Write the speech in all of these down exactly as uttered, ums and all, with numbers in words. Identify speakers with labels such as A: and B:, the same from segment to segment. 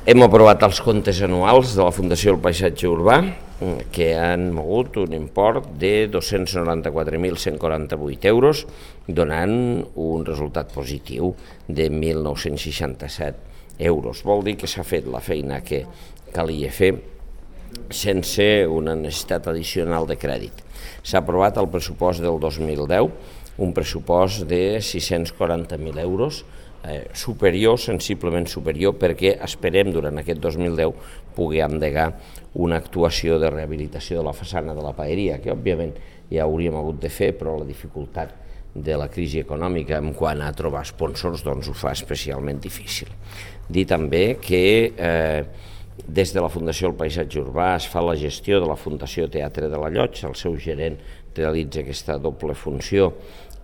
A: Hem aprovat els comptes anuals de la Fundació del Paisatge Urbà, que han mogut un import de dos-cents noranta-quatre mil cent quaranta-vuit euros, donant un resultat positiu de mil nou-cents seixanta-set euros. Vol dir que s'ha fet la feina que calia fer sense una necessitat addicional de crèdit. S'ha aprovat el pressupost del dos mil deu, un pressupost de sis-cents quaranta mil euros, eh, superior, sensiblement superior, perquè esperem durant aquest dos mil deu poder endegar una actuació de rehabilitació de la façana de la paeria, que òbviament ja hauríem hagut de fer, però la dificultat de la crisi econòmica en quant a trobar sponsors doncs ho fa especialment difícil. Dir també que eh, des de la Fundació del Paisatge Urbà es fa la gestió de la Fundació Teatre de la Llotja, el seu gerent realitza aquesta doble funció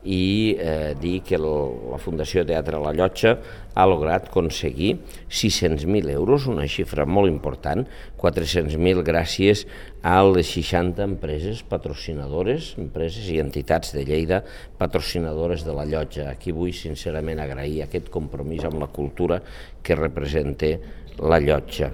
A: i eh, dir que la Fundació Teatre de la Llotja ha lograt aconseguir sis-cents mil euros, una xifra molt important, quatre-cents mil gràcies a les seixanta empreses patrocinadores, empreses i entitats de Lleida patrocinadores de la Llotja. Aquí vull sincerament agrair aquest compromís amb la cultura que representa la Llotja.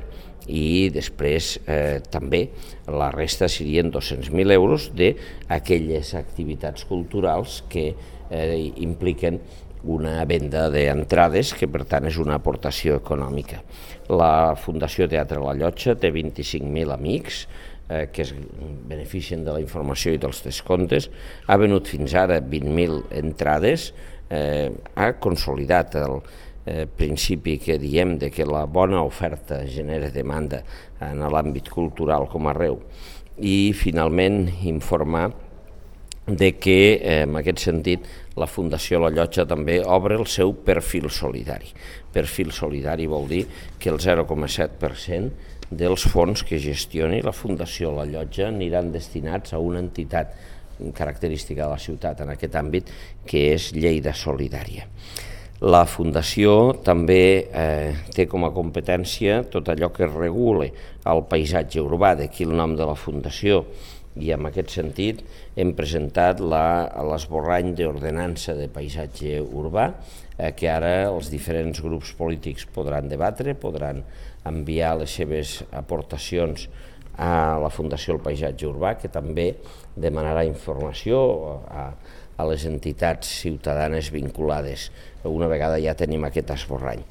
A: I després eh, també la resta serien dos-cents mil euros d'aquelles activitats culturals que eh, impliquen una venda d'entrades, que per tant és una aportació econòmica. La Fundació Teatre La Llotja té vint-i-cinc mil amics eh, que es beneficien de la informació i dels descomptes, ha venut fins ara vint mil entrades, eh, ha consolidat el Eh, principi que diem de que la bona oferta genera demanda en l'àmbit cultural com arreu, i finalment informar de que eh, en aquest sentit la Fundació La Llotja també obre el seu perfil solidari. Perfil solidari vol dir que el zero coma set per cent dels fons que gestioni la Fundació La Llotja aniran destinats a una entitat característica de la ciutat en aquest àmbit, que és Lleida Solidària. La Fundació també eh, té com a competència tot allò que regule el paisatge urbà, d'aquí el nom de la Fundació, i en aquest sentit hem presentat l'esborrany d'ordenança de paisatge urbà, eh, que ara els diferents grups polítics podran debatre, podran enviar les seves aportacions a la Fundació del Paisatge Urbà, que també demanarà informació a a les entitats ciutadanes vinculades, una vegada ja tenim aquest esborrany.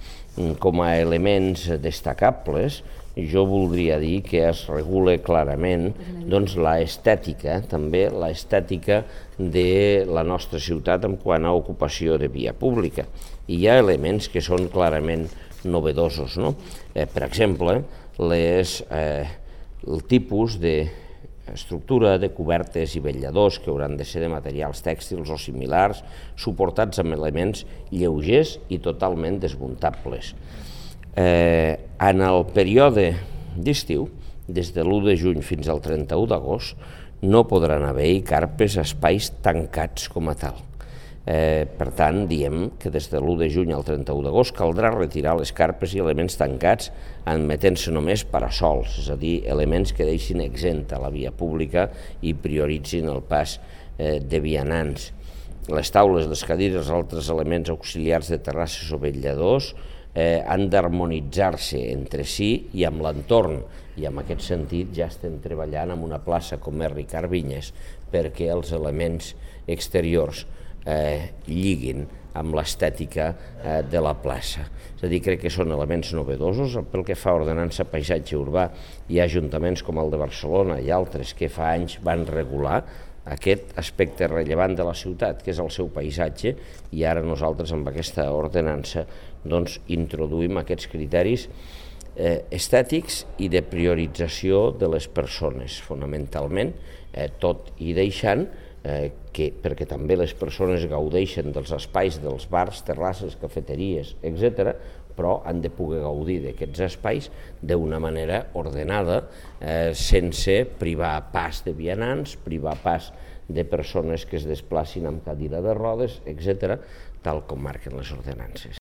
A: Com a elements destacables, jo voldria dir que es regula clarament doncs, l'estètica, també l'estètica de la nostra ciutat en quant a ocupació de via pública. I hi ha elements que són clarament novedosos, no? Eh, per exemple, les, eh, el tipus de estructura de cobertes i vetlladors que hauran de ser de materials tèxtils o similars, suportats amb elements lleugers i totalment desmuntables. Eh, en el període d'estiu, des de l'u de juny fins al trenta-u d'agost, no podran haver-hi carpes a espais tancats com a tal. Eh, per tant, diem que des de l'u de juny al trenta-u d'agost caldrà retirar les carpes i elements tancats admetent-se només parasols, és a dir, elements que deixin exempta la via pública i prioritzin el pas eh, de vianants. Les taules, les cadires, altres elements auxiliars de terrasses o vetlladors eh, han d'harmonitzar-se entre si i amb l'entorn, i en aquest sentit ja estem treballant en una plaça com és Ricard Vinyes perquè els elements exteriors Eh, lliguin amb l'estètica eh, de la plaça. És a dir, crec que són elements novedosos. Pel que fa a ordenança paisatge urbà, hi ha ajuntaments com el de Barcelona i altres que fa anys van regular aquest aspecte rellevant de la ciutat, que és el seu paisatge, i ara nosaltres amb aquesta ordenança doncs, introduïm aquests criteris eh, estètics i de priorització de les persones, fonamentalment, eh, tot i deixant Eh, que, perquè també les persones gaudeixen dels espais dels bars, terrasses, cafeteries, etcètera, però han de poder gaudir d'aquests espais d'una manera ordenada, eh, sense privar pas de vianants, privar pas de persones que es desplacin amb cadira de rodes, etcètera, tal com marquen les ordenances.